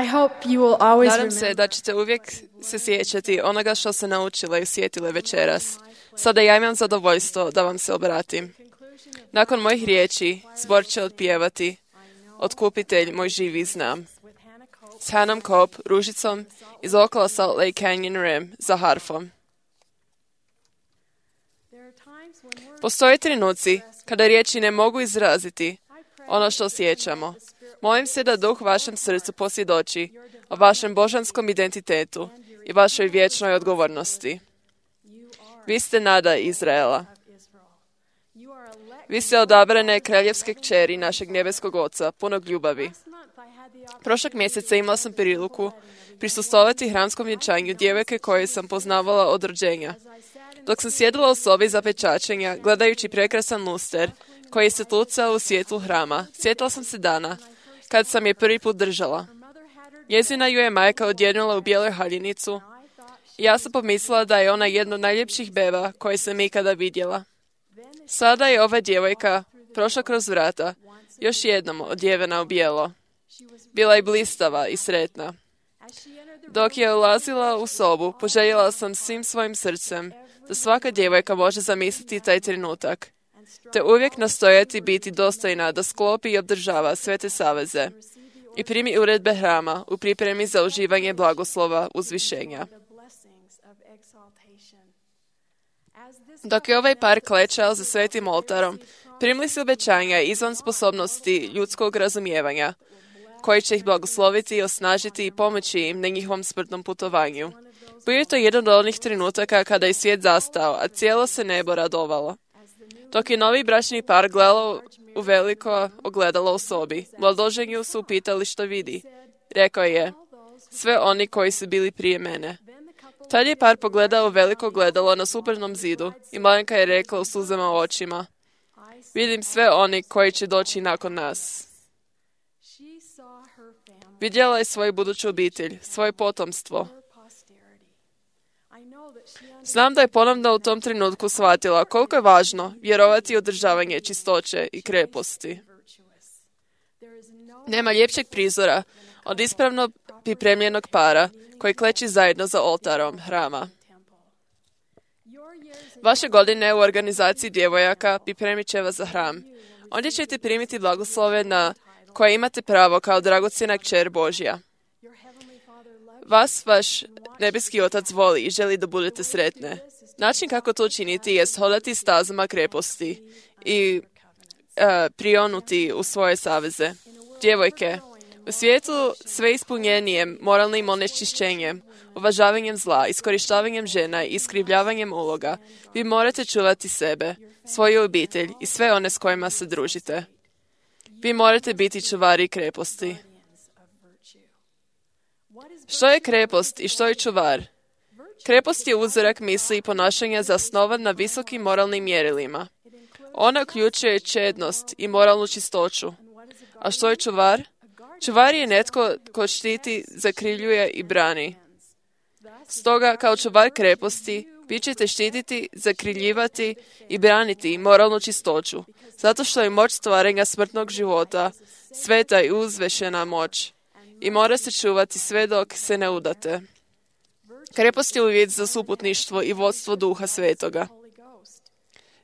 I hope you will always Nadam se remember da ćete uvijek se sjećati onoga što se naučile i sjetile večeras. Sada ja imam zadovoljstvo da vam se obratim. Nakon mojih riječi, zbor će otpjevati Otkupitelj moj živi znam. S Hannahom Cope, Ružicom iz okolo Salt Lake Canyon Rim za harfom. Postoje trenuci kada riječi ne mogu izraziti ono što osjećamo. Molim se da Duh vašem srcu posvjedoči o vašem božanskom identitetu i vašoj vječnoj odgovornosti. Vi ste nada Izraela. Vi ste odabrane kraljevske kćeri našeg nebeskog Oca, punog ljubavi. Prošlog mjeseca imala sam priliku prisustvovati hramskom vjenčanju djevojke koje sam poznavala od rođenja. Dok sam sjedila u sobi za pečačenja, gledajući prekrasan luster koji se tucao u svjetlu hrama, sjetila sam se dana kad sam je prvi put držala. Njezina ju je majka odjenula u bijelu haljinicu i ja sam pomislila da je ona jedna od najljepših beba koje sam ikada vidjela. Sada je ova djevojka prošla kroz vrata, još jednom odjevena u bijelo. Bila je blistava i sretna. Dok je ulazila u sobu, poželjela sam svim svojim srcem da svaka djevojka može zamisliti taj trenutak, te uvijek nastojati biti dostojna da sklopi i obdržava sve te saveze i primi uredbe hrama u pripremi za uživanje blagoslova uzvišenja. Dok je ovaj par klečao za svetim oltarom, primili su obećanja izvan sposobnosti ljudskog razumijevanja, koji će ih blagosloviti, osnažiti i pomoći im na njihovom smrtnom putovanju. Bio je to jedan od onih trenutaka kada je svijet zastao, a cijelo se nebo radovalo. Dok je novi bračni par gledao u veliko ogledalo u sobi, mladoženju su upitali što vidi. Rekao je, sve oni koji su bili prije mene. Tad je par pogledao u veliko ogledalo na suprotnom zidu i mladenka je rekla u suzama u očima, vidim sve oni koji će doći nakon nas. Vidjela je svoju buduću obitelj, svoje potomstvo. Znam da je ponovno u tom trenutku shvatila koliko je važno vjerovati u održavanje čistoće i kreposti. Nema ljepšeg prizora od ispravno pripremljenog para koji kleči zajedno za oltarom hrama. Vaše godine u organizaciji djevojaka pripremit će vas za hram. Ondje ćete primiti blagoslove na koje imate pravo kao dragocjena kćer Božja. Vas vaš nebeski Otac voli i želi da budete sretne. Način kako to učiniti jest hodati stazama kreposti i prionuti u svoje saveze. Djevojke, u svijetu sve ispunjenijem moralnim onečišćenjem, uvažavanjem zla, iskorištavanjem žena i iskrivljavanjem uloga, vi morate čuvati sebe, svoju obitelj i sve one s kojima se družite. Vi morate biti čuvari kreposti. Što je krepost i što je čuvar? Krepost je uzorak misli i ponašanja zasnovan na visokim moralnim mjerilima. Ona uključuje čednost i moralnu čistoću. A što je čuvar? Čuvar je netko ko štiti, zakrivljuje i brani. Stoga, kao čuvar kreposti, vi ćete štititi, zakrivljivati i braniti moralnu čistoću, zato što je moć stvaranja smrtnog života sveta i uzvešena moć i mora se čuvati sve dok se ne udate. Krepost je uvjet za suputništvo i vodstvo Duha Svetoga.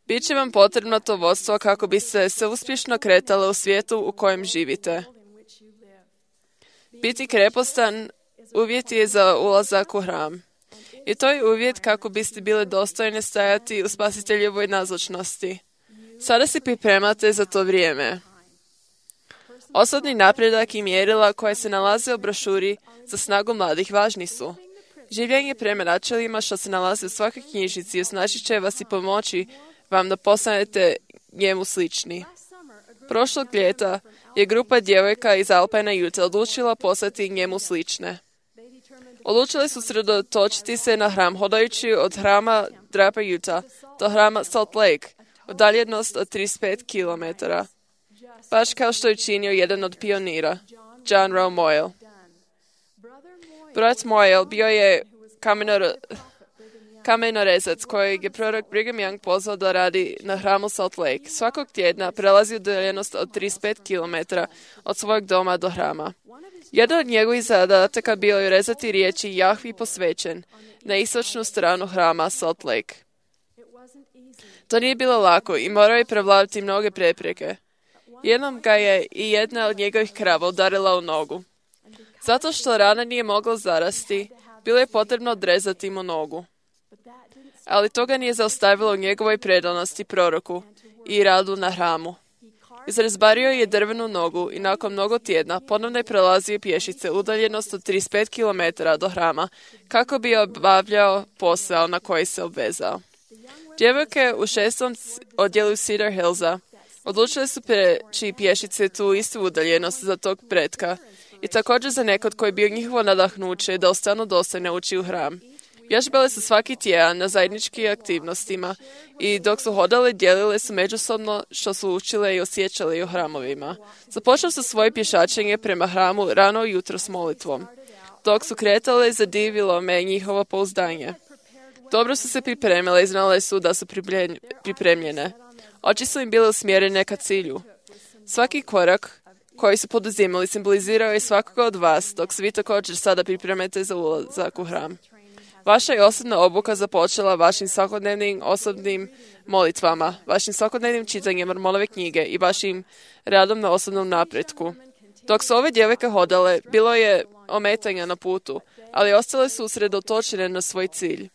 Biće vam potrebno to vodstvo kako bi se uspješno kretalo u svijetu u kojem živite. Biti krepostan uvjet je za ulazak u hram. I to je uvjet kako biste bile dostojne stajati u Spasiteljevoj nazočnosti. Sada se pripremate za to vrijeme. Osobni napredak i mjerila koje se nalaze u brošuri za snagu mladih važni su. Življenje prema načelima što se nalaze u svakoj knjižici osnažit će vas i pomoći vam da postanete njemu slični. Prošlog ljeta je grupa djevojka iz Alpine Utah odlučila postati njemu slične. Odlučili su sredotočiti se na hram, hodajući od hrama Draper Utah do hrama Salt Lake, udaljenost od 35 km. Baš kao što je činio jedan od pionira, John Rowe Moyle. Brat Moyle bio je kamenorezac kojeg je prorok Brigham Young pozvao da radi na hramu Salt Lake. Svakog tjedna prelazi udaljenost od 35 km od svojeg doma do hrama. Jedan od njegovih zadataka bio je rezati riječi Jahvi posvećen na istočnu stranu hrama Salt Lake. To nije bilo lako i morao je prevladati mnoge prepreke. Jednom ga je i jedna od njegovih krava udarila u nogu. Zato što rana nije mogla zarasti, bilo je potrebno odrezati mu nogu. Ali to ga nije zaustavilo u njegovoj predanosti proroku i radu na hramu. Izrezbario je drvenu nogu i nakon mnogo tjedna ponovno je prelazio pješice udaljenost od 35 km do hrama kako bi obavljao posao na koji se obvezao. Djevojke u 6. odjelu Cedar Hillsa odlučile su preći pješice tu istu udaljenost za tog pretka i također za nekog koji je bio njihovo nadahnuće da ostanu dostojne ući u hram. Vježbale su svaki tjedan na zajedničkim aktivnostima i dok su hodale dijelile su međusobno što su učile i osjećale u hramovima. Započele su svoje pješačenje prema hramu rano jutro s molitvom. Dok su kretale, zadivilo me njihovo pouzdanje. Dobro su se pripremile i znale su da su pripremljene. Oči su im bile usmjerene ka cilju. Svaki korak koji su poduzimali simbolizirao je svakoga od vas, dok se vi također sada pripremate za ulazak u hram. Vaša je osobna obuka započela vašim svakodnevnim osobnim molitvama, vašim svakodnevnim čitanjem Mormonove knjige i vašim radom na osobnom napretku. Dok su ove djevojke hodale, bilo je ometanja na putu, ali ostale su usredotočene na svoj cilj.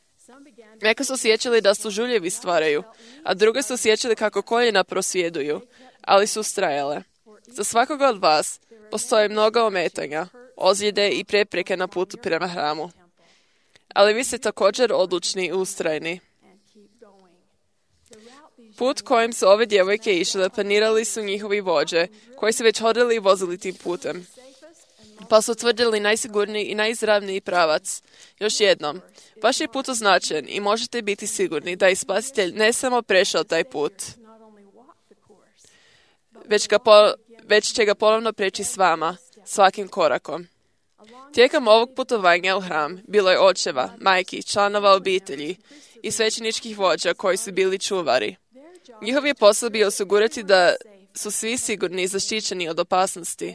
Neke su osjećali da su žuljevi stvaraju, a druge su osjećali kako koljena prosvjeduju, ali su ustrajale. Za svakoga od vas postoje mnogo ometanja, ozljede i prepreke na putu prema hramu. Ali vi ste također odlučni i ustrajni. Put kojim su ove djevojke išle planirali su njihovi vođe, koji su već hodili i vozili tim putem. Pa su utvrdili najsigurniji i najizravniji pravac. Još jednom, vaš je put označen i možete biti sigurni da je Spasitelj ne samo prešao taj put, već će ga ponovno preći s vama, svakim korakom. Tijekom ovog putovanja u hram bilo je očeva, majki, članova obitelji i svećeničkih vođa koji su bili čuvari. Njihov je posao bio osigurati da su svi sigurni i zaštićeni od opasnosti.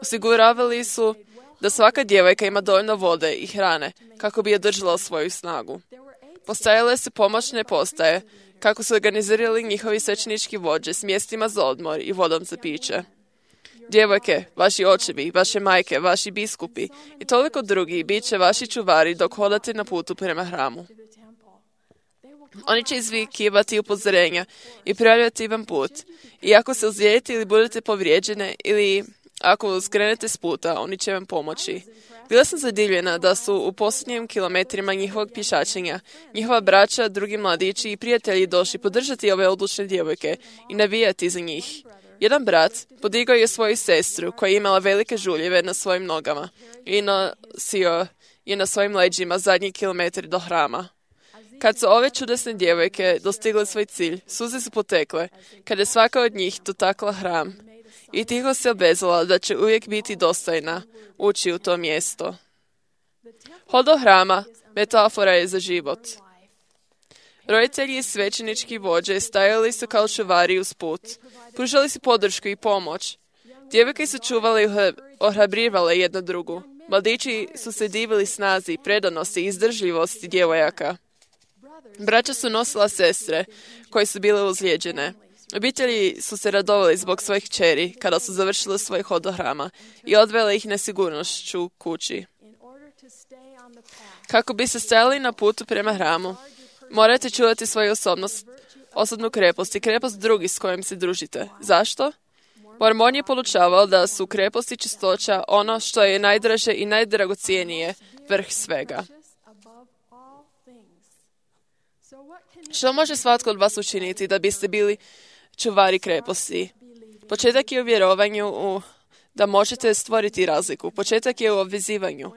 Osiguravali su da svaka djevojka ima dovoljno vode i hrane kako bi održala svoju snagu. Postajale su pomoćne postaje kako su organizirali njihovi svećenički vođe s mjestima za odmor i vodom za piće. Djevojke, vaši očevi, vaše majke, vaši biskupi i toliko drugi bit će vaši čuvari dok hodate na putu prema hramu. Oni će izvikivati upozorenja i prijavljati vam put. I ako se ozlijedite ili budete povrijeđene ili ako skrenete s puta, oni će vam pomoći. Bila sam zadivljena da su u posljednjim kilometrima njihovog pješačenja njihova braća, drugi mladići i prijatelji došli podržati ove odlučne djevojke i navijati za njih. Jedan brat podigao je svoju sestru koja je imala velike žuljeve na svojim nogama i nosio je na svojim leđima zadnji kilometri do hrama. Kad su ove čudesne djevojke dostigle svoj cilj, suze su potekle, kada je svaka od njih dotakla hram i tiho se obvezala da će uvijek biti dostojna ući u to mjesto. Hod do hrama metafora je za život. Roditelji i svećenički vođe stajali su kao čuvari uz put. Pružali su podršku i pomoć. Djevojke su čuvale i ohrabrivale jedna drugu. Mladići su se divili snazi, predanosti i izdržljivosti djevojaka. Braća su nosila sestre koje su bile ozlijeđene. Obitelji su se radovali zbog svojih kćeri kada su završile svoj hod do hrama i odvele ih nesigurnošću kući. Kako bi se stajali na putu prema hramu, morate čuvati svoju osobnu krepost i krepost drugih s kojim se družite. Zašto? Mormon je podučavao da su krepost i čistoća ono što je najdraže i najdragocijenije, vrh svega. Što može svatko od vas učiniti da biste bili čuvari kreposti? Početak je u vjerovanju da možete stvoriti razliku. Početak je u obvezivanju.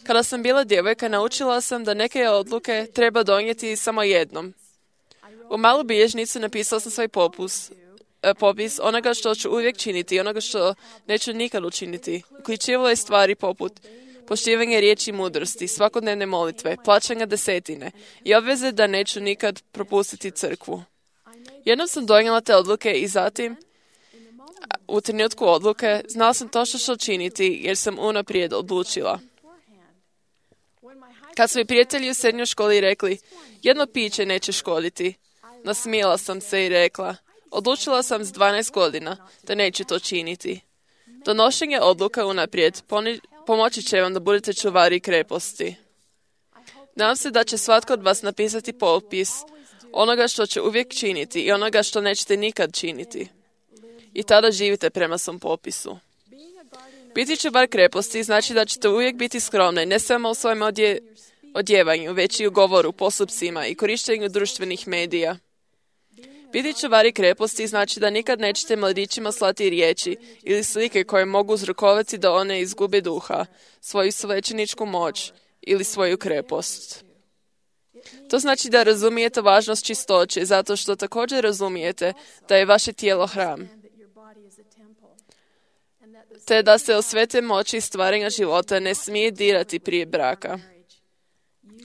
Kada sam bila djevojka, naučila sam da neke odluke treba donijeti samo jednom. U malu bilježnicu napisala sam svoj popis onoga što ću uvijek činiti i onoga što neću nikad učiniti. Uključivalo je stvari poput poštivanje riječi mudrosti, svakodnevne molitve, plaćanja desetine i obveze da neću nikad propustiti crkvu. Jednom sam donijela te odluke i zatim, u trenutku odluke, znala sam točno što činiti jer sam unaprijed odlučila. Kad su mi prijatelji u srednjoj školi rekli, jedno piće neće škoditi, nasmijela sam se i rekla, odlučila sam s 12 godina da neću to činiti. Donošenje odluka unaprijed pomoći će vam da budete čuvari kreposti. Nadam se da će svatko od vas napisati popis onoga što će uvijek činiti i onoga što nećete nikad činiti. I tada živite prema svom popisu. Biti čuvar kreposti znači da ćete uvijek biti skromni, ne samo u svojem odjevanju, već i u govoru, postupcima i korištenju društvenih medija. Biti čuvari kreposti znači da nikad nećete mladićima slati riječi ili slike koje mogu uzrokovati da one izgube duha, svoju svećeničku moć ili svoju krepost. To znači da razumijete važnost čistoće zato što također razumijete da je vaše tijelo hram, te da se o svete moći stvaranja života ne smije dirati prije braka.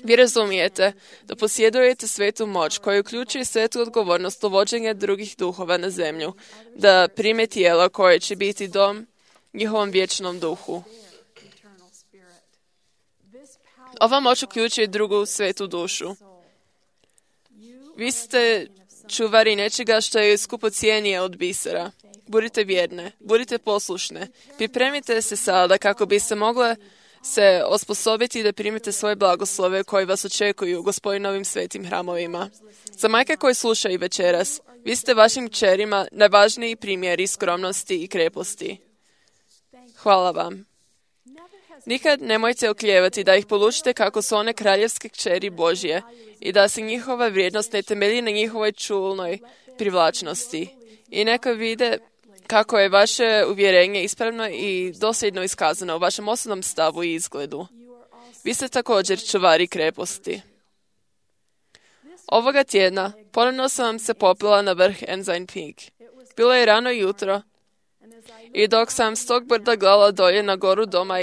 Vi razumijete da posjedujete svetu moć koja uključuje svetu odgovornost uvođenja drugih duhova na zemlju, da prime tijelo koje će biti dom njihovom vječnom duhu. Ova moć uključuje drugu svetu dušu. Vi ste čuvari nečega što je skupocijenije od bisera. Budite vjerne, budite poslušne. Pripremite se sada kako bi se mogle se osposobiti da primite svoje blagoslove koji vas očekuju u Gospodinovim svetim hramovima. Za majke koje slušaju večeras, vi ste vašim kćerima najvažniji primjeri skromnosti i kreposti. Hvala vam. Nikad nemojte oklijevati da ih polučite kako su one kraljevske kćeri Božje i da se njihova vrijednost ne temelji na njihovoj čulnoj privlačnosti. I neka vide kako je vaše uvjerenje ispravno i dosljedno iskazano u vašem osobnom stavu i izgledu. Vi ste također čuvari kreposti. Ovoga tjedna ponovno sam vam se popila na vrh Ensign Peak. Bilo je rano jutro i dok sam s tog brda gledala dolje na goru doma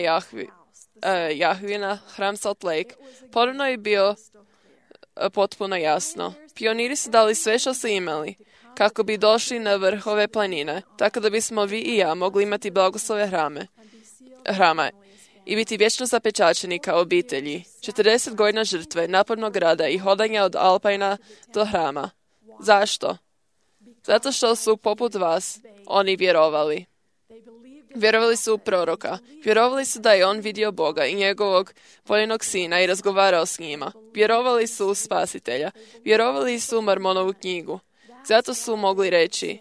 Jahvina, hram Salt Lake, ponovno je bio potpuno jasno. Pioniri su dali sve što su imali kako bi došli na vrh ove planine, tako da bismo vi i ja mogli imati blagoslove hrama i biti vječno zapečaćeni kao obitelji. 40 godina žrtve, napornog rada i hodanja od Alpajna do hrama. Zašto? Zato što su poput vas oni vjerovali. Vjerovali su u proroka. Vjerovali su da je on vidio Boga i njegovog voljenog sina i razgovarao s njima. Vjerovali su u spasitelja. Vjerovali su u Mormonovu knjigu. Zato su mogli reći,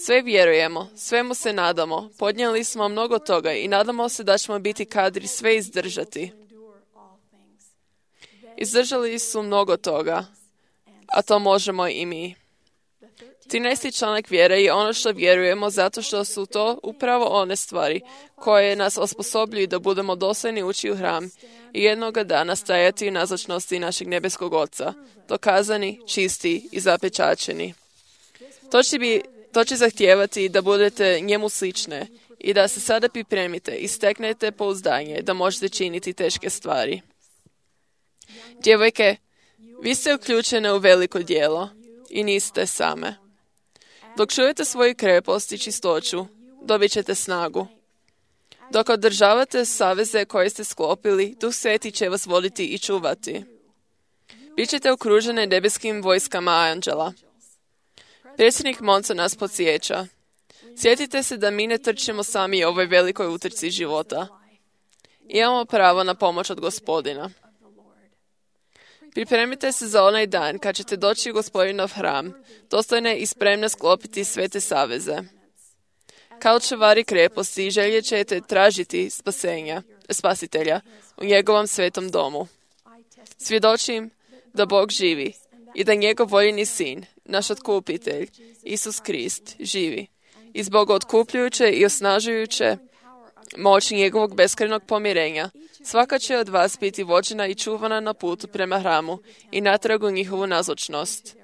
sve vjerujemo, svemu se nadamo, podnijeli smo mnogo toga i nadamo se da ćemo biti kadri sve izdržati. Izdržali su mnogo toga, a to možemo i mi. 13. članak vjere je ono što vjerujemo zato što su to upravo one stvari koje nas osposobljuju da budemo dosljedni ući u hram i jednoga dana stajati u nazočnosti našeg nebeskog Oca, dokazani, čisti i zapečaćeni. To će zahtijevati da budete njemu slične i da se sada pripremite i steknete pouzdanje da možete činiti teške stvari. Djevojke, vi ste uključene u veliko djelo i niste same. Dok čujete svoju krepost i čistoću, dobit ćete snagu. Dok održavate saveze koje ste sklopili, Duh Sveti će vas voditi i čuvati. Bićete okružene nebeskim vojskama anđela. Predsjednik Monson nas podsjeća. Sjetite se da mi ne trčimo sami u ovoj velikoj utrci života. Imamo pravo na pomoć od Gospodina. Pripremite se za onaj dan kad ćete doći u Gospodinov hram, dostojne i spremne sklopiti sve te saveze. Kao čuvari kreposti željet ćete tražiti spasitelja u njegovom svetom domu. Svjedočim da Bog živi i da njegov voljeni sin, naš otkupitelj, Isus Krist, živi. I zbog otkupljujuće i osnažujuće moći njegovog beskrajnog pomirenja, svaka će od vas biti vođena i čuvana na putu prema hramu i natrag u njihovu nazočnost.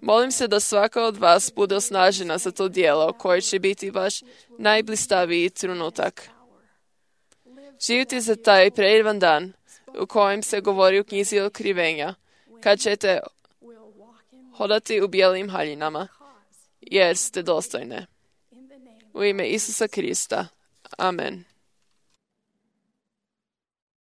Molim se da svaka od vas bude osnažena za to djelo koje će biti vaš najblistaviji trenutak. živjeti za taj predivan dan u kojem se govori u knjizi Otkrivenja, kad ćete hodati u bijelim haljinama, jer ste dostojne. U ime Isusa Krista. Amen.